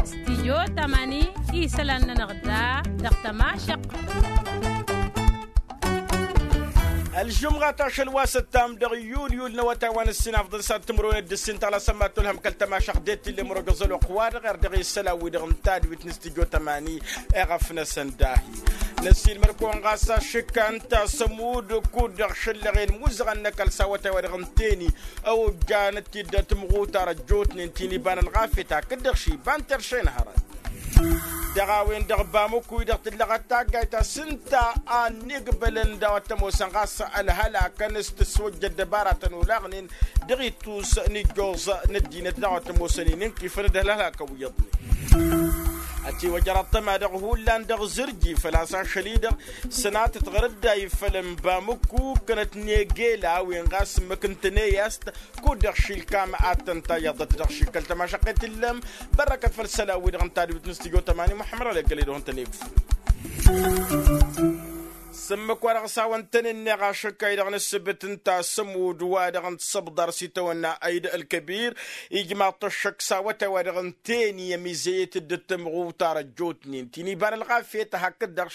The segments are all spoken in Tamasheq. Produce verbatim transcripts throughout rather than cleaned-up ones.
Stidyo tamani isălan-nănăɣ da dăɣ-tămašăqq. Ălžumɣat ašăl wa s-ăttam dăɣ-yul yul n-awătay wa n-ǝssin afḍăn s-ad-timǝrwen d-ǝssin tăɣlasăn ma t-tulhăm kăl-tămašăqq d-e-t tillem rogăẓ ălwăqq wa dăɣ-err dăɣ-e isălan-wi-dăɣ n-tadwit n-stidyo tamani. Eɣăf-năsăn dahi năsiilmăr-kăwăn ɣas ašǝkka ǝnta s-ămudd kud-dăɣ šăllăɣen muzăɣăn n-ăkall s-awătay wa dăɣ-n teni ăwojjanăt-dd tǝmɣutar ăjjootnen ti n-iba n-ălɣafyăt hakd-dăɣ ši iba n-terše n-hărăt. Dăɣ-a-wen-dăɣ bamǝkku-i-dăɣ tǝllăɣăt taggayt ta s-ǝnta a ănnigbălăn daw-ăttămosăn ɣas ălhălakăn s-tǝswăjja ăddăbaratăn olaɣnen dăɣ-ittus n-ijjoẓ n-ăddinăt daɣ wa t-ămoosăn-in ǝnkifăn d-ălhălakăn wi iyyăḍnen. Ătiwăjăr ăṭṭăma dăɣ-hullan dăɣ-zǝrji făl-a-s ašăl-i-dăɣ sănatăt ɣăr-dd a ifăl n-bamǝkku ǝkkănăt n-egel a-wen ɣas ǝmmǝk n-tăneyast kud-dăɣ šilkam ad-tăn-tayyăḍăt dăɣ-šik kăl-tămašăqqet tǝllăm. Bărrăkăt făll-isălan-wi-dăɣ n-tadwit n-stujo tămani muḥămmăd ɣălăggăl-i-dăɣ n-tănegfu. S-ǝmmǝk wa dăɣ-s hawăn-tăn-ǝnneɣ ašăkka-i-dăɣ n-ǝssǝbǝt ǝnta s-ămudd wa dăɣ-n tisăbḍar s-itawănna ayd ălkăbir ijmaḍ-t ăššăk s-awătay wa dăɣ-n teni ămizăyăt dd-tămɣutar ăjjootnen ti n-iba n-ălɣafyăt hakd-dăɣ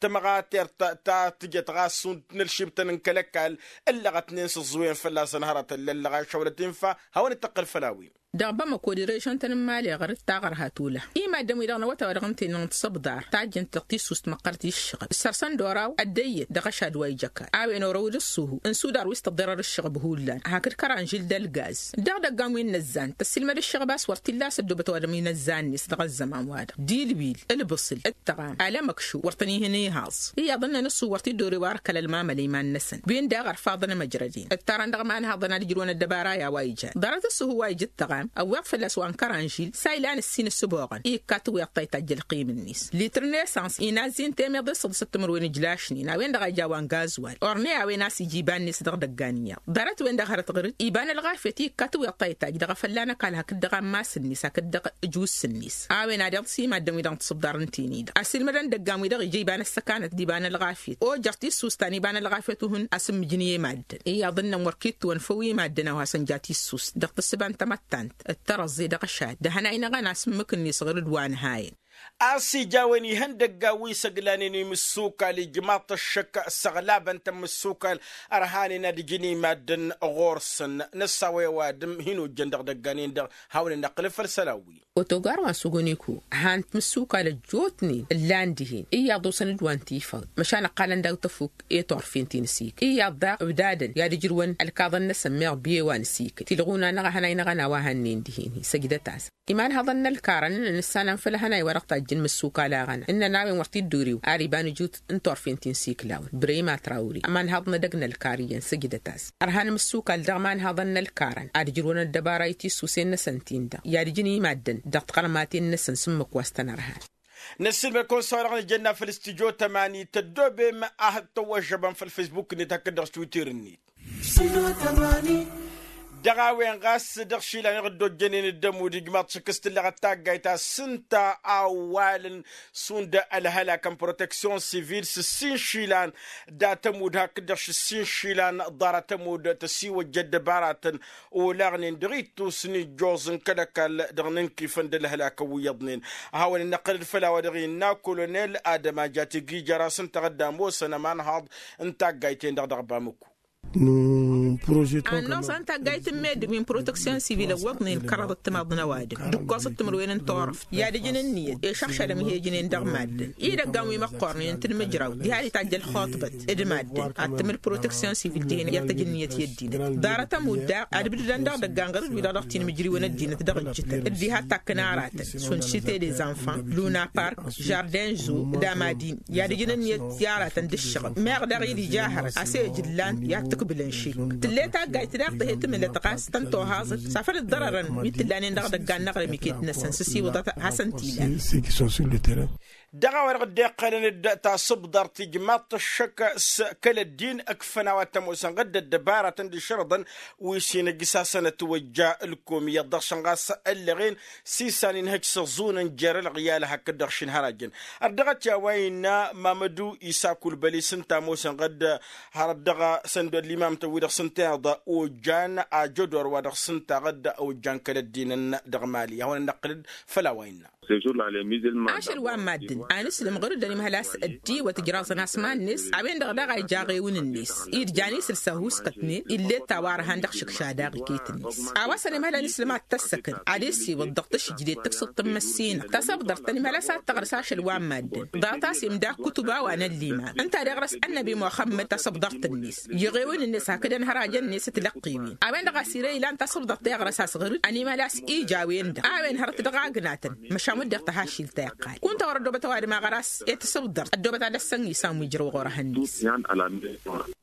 tămɣatert ta tǝjăt ɣas šund n-ălšibtăn n-kăl-ăkall ǝllăɣătnen s-ǝẓẓǝwen fălla-săn hărătăn lăllăɣ a išăwlăt infa. Hawăn-dd-tăqqǝl făll-a-wen. Dăɣ-bamăko d-režăn-tăn n-imali ɣăr-dd taɣărhat ula imaddăn-wi-dăɣ n-awătay wa dăɣ-n teni n-tisăbḍar tajjăn-t dăɣ-tissust măqqărăt i-ǝššăɣăb s-ărsăn d-oraw ăddăyyăt dăɣ-ašad wa ija ăkall a-wen orăw d-ǝṣṣuhu n-sudar wi s-tăḍḍerăr ǝššăɣăb hullan hakd kăranžil d-ălgaz. Dăɣ-idăggan wi n-inăzzan tăssiilmăd ǝššăɣăb a-s wăr t-illa a-s ăddoobăt ăwadǝm inăzzan-net dăɣ-ăzzăman-wa-dăɣ d-ilwil ǝlbǝṣǝl d-tăɣam alămăkšu wăr tăn-ihăn ihaẓ. Iyyăḍ ǝnnăn ǝṣṣu wăr t-dd-ore wa răkkăl ălmamăl i-iman-năsăn wi ǝnda a ɣărfaḍăn ămăjrăden ǝttarăn dăɣ-imanhaḍăn ad-ǝjrǝwăn ăddăbara i-a-wa ijan ḍarăt ǝṣṣuhu wa ija ǝttăɣam ăwweḍ fălla-s wa n-kăranžil s-a ilan ǝssin ăssǝboɣăn i-ikkat iwyaḍ ta ittajj ălqim-net litr n-esăns inazi n-temeḍe s-ăḍǝsăt timǝrwen ǝjlašnen a-wen-dăɣ a ija a-wa n-gazwal orney a-wen a-s ija iba-net dăɣ-idăggan iyyăḍ ḍarăt-wen-dăɣ hărăt ɣǝr-dd iba n-ălɣafyăt i-ikkat iwyaḍ ta ittajj dăɣ-efălla n-ăkall hakd dăɣ-ammas-net hakd dăɣ-ǝjwǝs-net a-wen ad-iḍǝs i-maddǝn-wi-dăɣ n-tisǝbḍar n-teni-dăɣ ăsilmădăn idăggan-wi-dăɣ ija iba n-ăssăkanăt d-iba n-ălɣafyăt ojăr tisust ta n-iba n-ălɣafyăt uhǝn asǝmmǝjǝn i-maddǝn iyyăḍ ǝnnăn wăr k-itwăn făw i-maddǝn a-wa hasăn-ja tisust dăɣ-tǝssǝba n-tamăttant d-tărăẓẓe dăɣ-ăšad d-ehănay-năɣăn asǝmmǝk-net ɣǝr-dd wa n-ehayăn. A-s ija a-wen ihăndăggan wi s-ăglanen imǝssukal ijmaḍ-t ăššăk s-ăɣlabăn-tăn imǝssukal ărhanen ad-ǝjǝn i-maddǝn ɣur-săn. Năssawăy ăwadǝm hin-ojjăn dăɣ-idăggan-en-dăɣ hawăn-dd-năqqǝlăb făll-isălan-wi. Otogar wa n-suguniku han-t imǝssukal ăjjootnen ǝllan dihen iyyăḍ osăn-dd wa n-tifăḍ măšan ǝqqalăn daw-tăfuk i-turfen ti n-asik iyyăḍ daɣ ǝbdadăn i-ad-ǝjrǝwăn ălkaḍăn-năsăn meɣ biye wa n-asik tilɣuna-năɣ ehănay-năɣăn a-wa hănnen dihen-hi săjdăt-as. Imanhăḍăn n-ălkarăn ǝnnăn ǝssanăn făll-ehănay wa dăɣ-tajjăn imǝssukal aɣăna ǝnnăn a-wen wăr t-dd-uriw ar iba n-ǝjut n-turfen ti n-siklawăn brăyma trawri ămanhăḍ n-edăgg n-ălkar iyyăn săjdăt-as. Ărhan imǝssukal dăɣ-imanhăḍăn n-ălkarăn ad-ǝjrǝwăn ăddăbara i-tissuse-năsăn-tin-dăɣ i-ad-ǝjǝn i-maddǝn dăɣ-tiɣărmaten-năsăn s-ǝmmǝk wa s-tăn-ărhan. Năssiilmăd-kăwăn s-a-wa-dăɣ nǝjănna făll-studyo tămani tăddoobem ad-tăwwăžžăbăm făll-facebook-net hakd dăɣ-twitter-net. Dăɣ-a-wen ɣas dăɣ-išilan iɣ dd-ojjănen d-ămudd ijmaḍ-t šik s-tǝllăɣăt taggayt ta s-ǝnta a ăwwalăn šund ălhălak n-proteksyon sivil s-ǝssin išilan dat-ămudd hakd-dăɣ s-ǝssin išilan ḍarăt ămudd tăsiwăjja ăddăbaratăn olaɣnen dăɣ-ittus n-ijjoẓ n-kăl-ăkall dăɣ-inǝnkifăn d-ălhălak wi iyyăḍnen. A hawăn-in-năqqǝlăd făll-a-wa dăɣ-innă kolonel adăma jatigi jer-a-s ǝnta ad-ămoosăn ămanhaḍ n-taggayt-en-dăɣ dăɣ-bamǝkku. Annoẓa n-taggayt n-meddǝn wi n-proteksyon sivil ăwwăḍnen kăraḍăt timaḍ n-ăwadǝm d-ǝkkoẓăt timǝrwen n-turăft i-ad-ǝjǝn ǝnniyăt i-išăɣšadăm ih'-ejǝnen dăɣ-maddǝn. I-idăggan wi măqqoornen tǝnmǝjraw diha d-itajj ălxuṭbăt d-maddǝn ad-tǝmǝl proteksyon sivil dihen i-ad-tăj ǝnniyăt i-ăddinăt. Ḍarăt ămudd daɣ ad-ǝbdǝdăn dăɣ-idăggan ɣur-dd-wi-dăɣ dăɣ-tinmǝjriwăn ăddinăt dăɣ-ǝjjǝtăn dd-iha ătakkăn aratăn šund cite des enfants, luna park, jardin zo d-amadin i-ad-ǝjǝn ǝnniyăt i-aratăn d-ǝššăɣǝb meɣ daɣ-i d-ija hărăt a-s ejǝllan i-ad-t-ǝkbǝlăn šik. Tǝll'-e taggayt daɣ tǝhe tǝmǝlăt ɣas tăn-tohaẓăt s-afăl ǝḍḍărărăn wi t-ǝllanen dăɣ-idăggan n-aɣrǝm iket-năsăn s-ăsiwǝḍăt hasăn-t-ilan. Dăɣ-a-wa-dăɣ dd-iqqălăn-dd tasǝbḍart ijmaḍ-t ăššăk s-kăl-ăddin ǝkfăn a-wa t-ămoosăn ɣǝdd ăddăbaratăn d-išrǝḍăn wi s-hin-ǝjjǝsasăn ătwăjja ǝlkom iyyăḍ dăɣ-săn ɣas ăllăɣen s-isan inhăj s-aẓunăn jer-ălɣǝyal hakd-dăɣ šin hărajăn. Ărdăɣăt i-a-wa innă mamădu isa kulbăli s-ǝnta ămoosăn ɣǝdd hărăt dăɣ-săn d-ăllimamtăn-wi-dăɣ s-ǝnta iyyăḍ ojjan ajădor wa dăɣ-s ǝnta ɣǝdd ojjan kăl-ăddinăn dăɣ-mali ad-hawăn-ănnăqqǝlăd. Făll-a-wa innă. Ašăl wa n-maddǝn a nǝslǝm ɣur-dd ănimhăl a-s ăddiwăt ǝjraẓăn asma-net a-wen-dăɣ daɣ a ija aɣewǝn-net idjan isǝlsa huskătnen ill'-e d-tawarhan dăɣ-išǝkša daɣ iket-net. A-wa s-ănimhăl a nǝslǝm ad-t-ăssăkăn ad-essiwǝḍ dăɣ-tǝšjǝdet tǝksǝḍt n-măssinăɣ tasăbḍărt tănimhăl a-s ad-tăɣrǝs ašăl wa n-maddǝn ḍarăt a-s imda kutǝba wa n-ălliman ǝnta a deɣrăs ănnăbi muxămmăd tasăbḍărt-net i-iɣewǝn-net hakd ănhărajăn-net ǝtlăqqiwen a-wen-dăɣ a-s ire ilan tasǝbḍărt teɣrăs a-s ɣur-dd ănimhăl a-s ija a-wen-dăɣ a-wen hărăt dăɣ-agnatăn. Măšan wădden tăhaššilt ta iqqal kunta wăr-ăddoobăt ăwadǝm a ɣăr-as i-tasǝbḍărt ăddoobăt ad-ăssăn isam wi jărwăɣ orăhăn-net.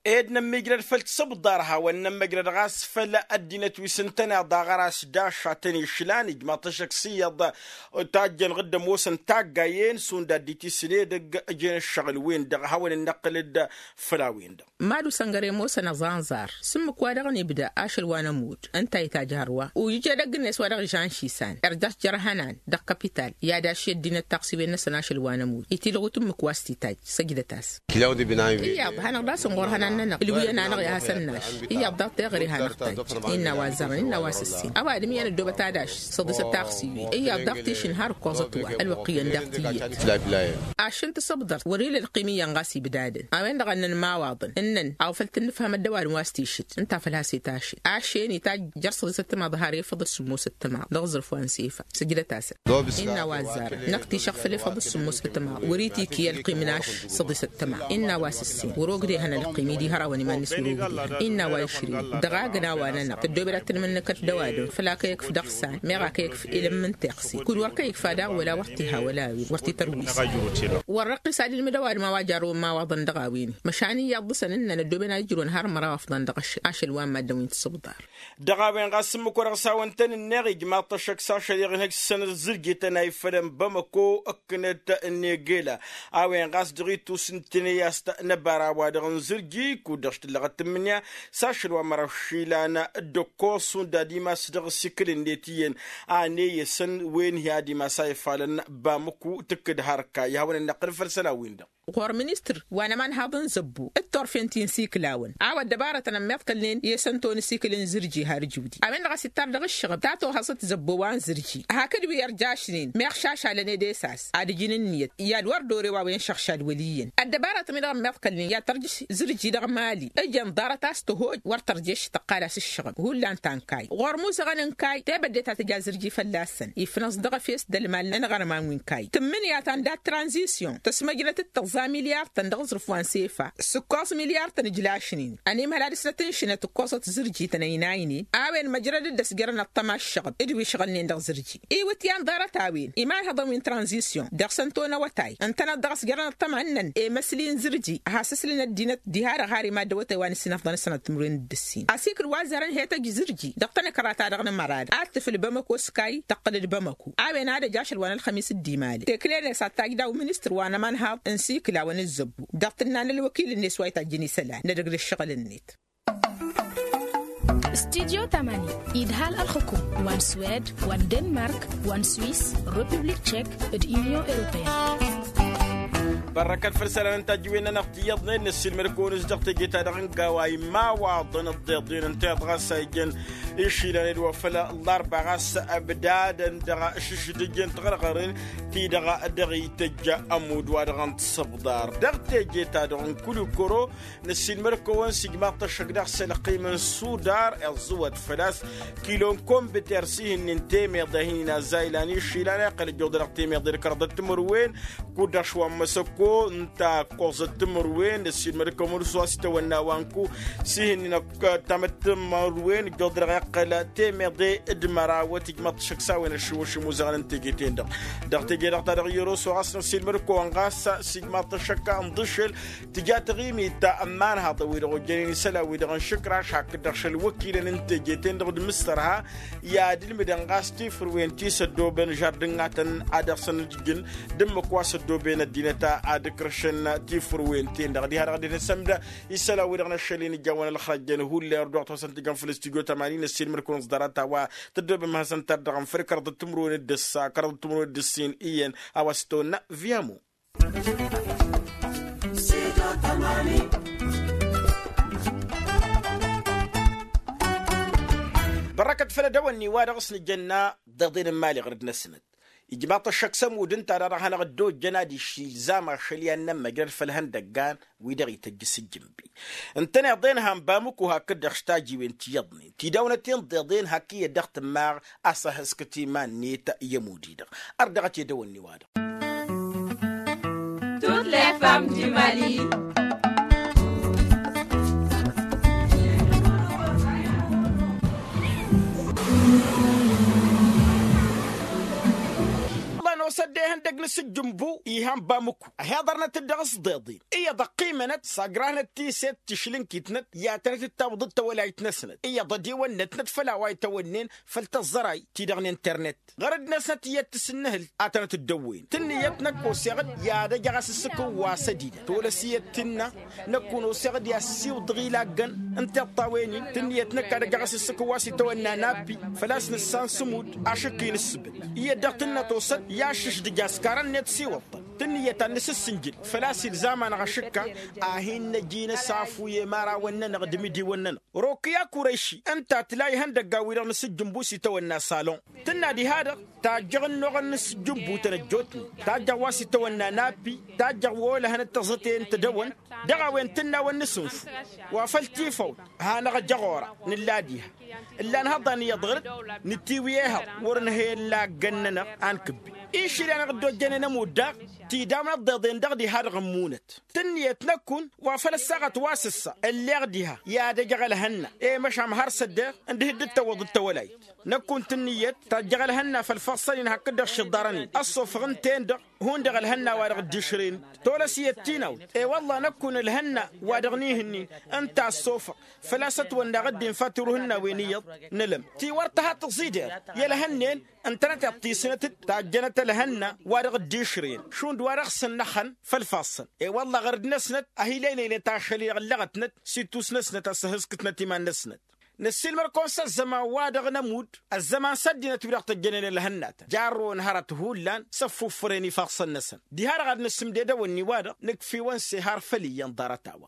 Ed nămmijrăd făll-tasǝbḍar hawăn-nămmăjrăd ɣas făll-ăddinăt wi s-ǝntăneḍ a ɣăr-as dašatăn išlan ijmaḍ-t ăššăk s-iyyăḍ tajjăn ɣǝddăm wosăn taggayen šund ad-dd-itisǝl edăgg ǝjăn ǝššăɣǝl-wen-dăɣ hawăn-ănnăqqǝlăd. Făll-a-wen-dăɣ. Mad-usăngăr i-ămoosăn ăẓanẓar s-ǝmmǝk wa dăɣ-nibda ašăl wa n-ămudd ǝnta a itajj hărwa ujǝj edăgg-net wa dăɣ-ižan šisan irjăš jer-ihănan dăɣ-kapital i-ad-ašši ăddinăt taɣsiwen-năsăn ašăl wa n-ămudd itilɣut ǝmmǝk wa s-titajj. Săjdăt-as. Iyyăḍ hanăɣ-dd-asǝn ɣur-ihănan-nănăɣ ǝlwǝyăn-anăɣ i-ad-hasăn-naš. Iyyăḍ daɣ teɣăre hanăɣ-tajj innă wa ăzzărăn innă wa s-ǝssin ăwadǝm iyyăn ăddoobăt ad-ašš săḍisăt taɣsiwen iyyăḍ daɣ tišǝnhar ǝkkoẓăt wa ălwăqq iyyăn daɣ tiyyăt. Aššǝn tasăbḍărt wăr-ila ălqim iyyăn ɣas ibdadăn a-wen-dăɣ a ǝnnăn imawaḍăn ǝnnăn a-wa făl tǝnnǝfhăm ăddăwalăn wa s-tišǝd ǝnta a făl has-itašǝd aššen itajj jer-săḍisăt timaḍ har efăḍ s-sǝmmosăt timaḍ dăɣ-aẓrǝf wa n-sefa. Sǝjdăt-asăn. Innă wa ăzzarăn năkk tišăɣ făll-efăḍ s-sǝmmosăt timaḍ wăr-itikǝy ălqim n-ašš săḍisăt timaḍ innă wa s-ǝssin wăr-ogdehăn ălqim-i d-ihărawăn iman-net wăr-ogdehăn innă wa išrin. Dăɣ-agna wa-nănăɣ tăddoobed ad-tǝnmǝnnǝkăt d-ăwadǝm făl-ak ăyǝkf dăɣ-san meɣ ak ăyǝkf ilăm n-teɣse kud-wăr kăyǝkfa daɣ wăla wăr t-iha wăla a-wen wăr t-itărwǝs. Wăr-răqqis ad-ilmǝd ăwadǝm a-wa jarrăwăn imawaḍăn dăɣ-a-wen. Măšan iyyăḍ dăɣ-săn ǝnnăn ăddooben ad-ǝjrǝwăn har măraw afḍăn dăɣ-ašăl wa n-maddǝn wi n-tasǝbḍar. Dăɣ-a-wen ɣas ǝmmǝk wa dăɣ-s hawăn-tăn-ǝnneɣ ijmaḍ-t ăššăk s-ašăl iɣǝnhăj s-săn ăzzǝrjităn a ifălăn bamăko ǝkkǝnăt n-egela a-wen ɣas dăɣ-itus n-tinăyast n-ăbara wa dăɣ-nǝzǝrji kud-dăɣ s-tǝllăɣăt tǝmmǝnǝya s-ašăl wa măraw išilan d-ăkkoẓ šund ad-imas dăɣ-asikǝl-net iyyăn a n-eyăsăn wen hi-ad-imas a ifalăn bamăko tǝkkǝd har ǝkka i-hawăn-ănnăqqǝl făll-isălan-win-dăɣ. Ɣur-ministăr wa n-ămanhaḍ n-zăbbo d-turfen ti n-isiklawăn a-wa ăddăbarătăn ămmiḍkălnen i-esănto n-asikǝl n-zǝrji har ǝjǝwdi a-wen-dăɣ a-s ittar dăɣ-ǝššăɣăb ta tohăẓăt zăbbo wa n-zǝrji hakd wi ărjašnen meɣ šašalăn ed esas ad-ǝjǝn ǝnniyăt i-ad-wăr dore wa wen šăɣšad wăl' iyyăn. Ăddăbarăt-mi-dăɣ ămmiḍkălnen i-ad-tărjǝš zǝrji dăɣ-mali ǝjăn ḍarăt a-s tǝhoj wăr tărješ tăqqal-as ǝššăɣăb hullan ta n-kayy ɣur-musăɣăn n-kayy tebădde ta tǝja zǝrji fălla-săn ifnăẓ dăɣ-efes d-ălmal n-iɣărman wi n-kayy tǝmmǝnǝya ta n-dat tranzisyon tăsmăjnăt d-tăẓẓa milyar-tăn dăɣ-aẓrǝf wa n-sefa s-ǝkkoẓ milyar-tăn ǝjlašnen ănimhăl ad-dăr-s tăt-ǝnšǝnăt ǝkkoẓăt zǝrji-tăn ăynaynen a-wen măjrăd-dd ăsjărăn ăṭṭăma ǝššăɣăb d-wi ǝšɣǝlnen dăɣ-zǝrji. Iwǝtyan ḍarăt a-wen imanhăḍăn wi n-tranzisyon dăɣ-săn tonăwătay ǝntăneḍ dăɣ-s jărăn ăṭṭăma ǝnnăn emăsli n-zǝrji has-ǝslǝn ăddinăt diha-dăɣ har imaddăwătay wa n-ǝssin ăfḍăn s-sănăt timǝrwen d-ǝssin asikǝl wa ăzzărăn hetăj zǝrji dăɣ-tanăkra-ta-dăɣ n-amărad ad-tǝfǝl bamăko s-kayy tăqqǝl d-bamăko a-wen ad-ăj ašăl wa n-ălxămis d-imalăn tekle-net ad-tajj daw-ministăr wa n-ămanhaḍ n-isikǝlawăn d-zăbbu dăɣ-tǝnna n-ălwăkil-net wa itajjăn isălan n-edăgg d-ǝššăɣǝl-net. Studyo tamani idhal ălxukum wa n-swed wa n-denmark wa n-swis, republik tchek, d-unyon europeyăn. Bărrăkăt făll-isălan n-tajǝwen-nănăɣ ti iyyăḍnen năssiilmăd-kăwăn-s dăɣ-teje-ta-dăɣ n-gawa imawaḍăn ăḍḍeḍen ǝnta iyyăḍ ɣas a ijăn išilan edwa făll-ăllarba ɣas ăbdadăn dăɣ-ašǝšdǝj n-tiɣărɣăren ti-dăɣ dăɣ-itǝjja ămudd wa dăɣ-n-tisǝbḍar dăɣ-teje-ta-dăɣ n-kulikoro. Năssiilmăd-kăwăn s-ijmaḍ-t ăššăk daɣ s-ălqim n-sudar iẓẓǝwăt făl-a-s kilo n-kombiter s-ihǝnnin temeḍe a hin-inaza ilan išilan a iqqăl ăjjuḍănăɣ temeḍe d-kăraḍăt timǝrwen kud-dăɣ šwa n-măsăko ǝnta ǝkkoẓăt timǝrwen năssiilmăd-kăwăn s-wa s-itawănna wa n-ku s-ihǝnnin ăkk tamăt timǝrwen ăjjuḍănăɣ. ǝqqǝl temeḍe d-mărawăt ijmaḍ-t ăššăk s-a-wen ăššăwăšăm uzăɣăn n-teje-ten-dăɣ. Dăɣ-teje-dăɣ ta dăɣ-i-ăroso ɣas năssiilmăd-kăwăn ɣas s-ijmaḍ-t ăššăk n-iḍǝššel tǝja taɣimit ta ămmanhaḍăn-wi-dăɣ ojjănen isălan-wi-dăɣ n-išǝkraš hakd-dăɣ šăl wăkilăn n-teje-ten-dăɣ d-imǝssărha i-ad-ǝlmǝdăn ɣas tifrǝwen ti s-ăddoobăn žardǝngatăn ad-dăɣ-săn ǝjǝjjǝn d-ǝmmǝk wa s-ăddooben ăddinăt ad-ǝkrǝšăn tifrǝwen-ten-dăɣ diha-dăɣ dd-hin-sămdă isălan-wi-dăɣ n-aššăl-in ǝjawăn ălxărăjjăn hullan ărdooɣ tosăn tǝjăn făll-studyo tămani n-ăssiilmăd-kăwăn s-ḍarăt a-wa tăddoobem hasăn-tăr-dăɣ n-făll-kăraḍăt timǝrwen d-ǝssa kăraḍăt timǝrwen d-ǝssin iyyăn a-wa s-tăwănna viamo. Bărrăkăt făll-edăwănni wa dăɣ-s nǝjănna ḍeḍen n-imali ɣăr-dd-năsnăt ijmaḍ-t ăššăk s-ămudd ǝnta-dăɣ hanăɣ-dd-ojjăn ad-iššil zama ašăl i-ad-nămmăjrăd făll-ihăndăggan wi-dăɣ ităjj s-ǝjjǝmbi. Ǝntăneḍ-en han bamǝku hakd-dăɣ s-tajiwen ti iyyăḍnen tidăwnăt-in ḍeḍen hak iyyăt dăɣ-tǝmmaɣ a-s ăhhǝskăt iman-net i-ămudd-i-dăɣ. Ărdăɣăt i-edăwănni-wa-dăɣ. Toutes les femmes du Mali. Ăllan osădde ihăndăg n-asǝjjǝmbu ihăn bamǝku ăhiḍărnăt-dd dăɣ-s ḍeḍen iyyăḍ ăqqimănăt s-agrăhnăt tiset tišlǝnkit-năt i-ad-tănăt-dd-tawǝḍ d-tawălayt-năsnăt iyyăḍ ădiwănnătnăt făll-a-wa itawănnen făll-tăẓẓăray-ti-dăɣ n-internet ɣărăd-năsnăt iyyăt tǝssǝnnǝhǝl ad-tănăt-dd-ăwwăyăn tǝnnǝyăt năkk oseɣ-dd i-ad-ăjăɣ asǝssǝk n-wa s-ădinăt tolăs iyyăt tǝnnă năkk-un oseɣ-dd i-ad-siwǝḍăɣ ilaggăn n-tiṭṭawen-in tǝnnǝyăt năkk ad-ăjăɣ asǝssǝk n-wa s-itawănna nappi făl-a-s nǝssan s-ămudd ašǝkk-i n-ǝssǝbǝt iyyăt dăɣ-tǝnnă tosăn i-ašǝšdǝj askarăn-net s-iwăḍ tǝnnǝyăt ad-nǝsǝssǝnjǝl făl-a-s ilzam-anăɣ ašǝkka a hin-năj'-in ăsafu i-imărawăn-nănăɣ d-imidiwăn-nănăɣ. Rokǝya kurăyši ǝnta tǝla ihăndăggan-wi-dăɣ n-asǝjjǝmbu s-itawănna salon tǝnna diha-dăɣ tajjăɣ ǝnnuɣăn n-asǝjjǝmbu tănăjjootnen tajjăɣ wa s-itawănna nappi tajjăɣ wa olăhăn d-tăẓẓăte n-tedăwăn dăɣ-a-wen tǝnnawăn n-asǝnfu wa făl tifăwt hanăɣ-ăjăɣ ora nǝlla diha ǝllan hăḍan iyyăḍ ɣǝr-dd nǝtiwǝy ehăḍ wăr-nǝhăy ăllaggăn-nănăɣ a n-kǝbbi išil i-anăɣ-dd-ojjănen ămudd daɣ tidawăn ăḍḍeḍen-dăɣ diha-dăɣ ǝmmunăt tǝnnǝyăt năkk-un wa făl ăssaɣăt wa s-ǝssa ălleɣ diha i-ad-ăjăɣ ălhănna i-măšan har s-ăddeɣ ǝndǝhǝd dd-tăwwăḍ d-tawălayt năkk-un tǝnnǝyăt tajjăɣ ălhănna făll-ifassăn-in hakd-dăɣ šiḍarăn-in ăṣṣofăɣ ǝnta-en-dăɣ hundăɣ ălhănna wa dăɣ-dd-išrăyăn tolăs iyyăt tinawt i-wălla năkk-un ălhănna wa dăɣ-nihǝnnin ǝnta ăṣṣofăɣ făl-a-s ătwănnaɣ dd-infa tiruhǝnnawen iyyăḍ n-elăm ti wăr tǝha tǝẓẓidăr i-ălhănnen ǝntănăteḍ tisnăt-dd tajjănăt ălhănna wa dăɣ-dd-išrăyăn šund wa dăɣ-săn n-ăxxăn făll-ifassăn i-wălla ɣărăd-năsnăt ăhilăylăynăt ašăl-i-dăɣ ǝllăɣătnăt s-itusnăsnăt a-s ăhhǝskǝtnăt iman-năsnăt. Năssiilmăr-kăwăn s-ăzzăman-wa-dăɣ n-ămudd ăzzăman s-ăddinăt wi-dăɣ tăjjănen ălhănnatăn jarrăwăn hărăt hullan s-ăffuffărăyăn ifassăn-năsăn diha-dăɣ ad-nǝsǝmded ewănni-wa-dăɣ nǝkf'-iwăn s-ehar făll-iyyăn ḍarăt-a-wa.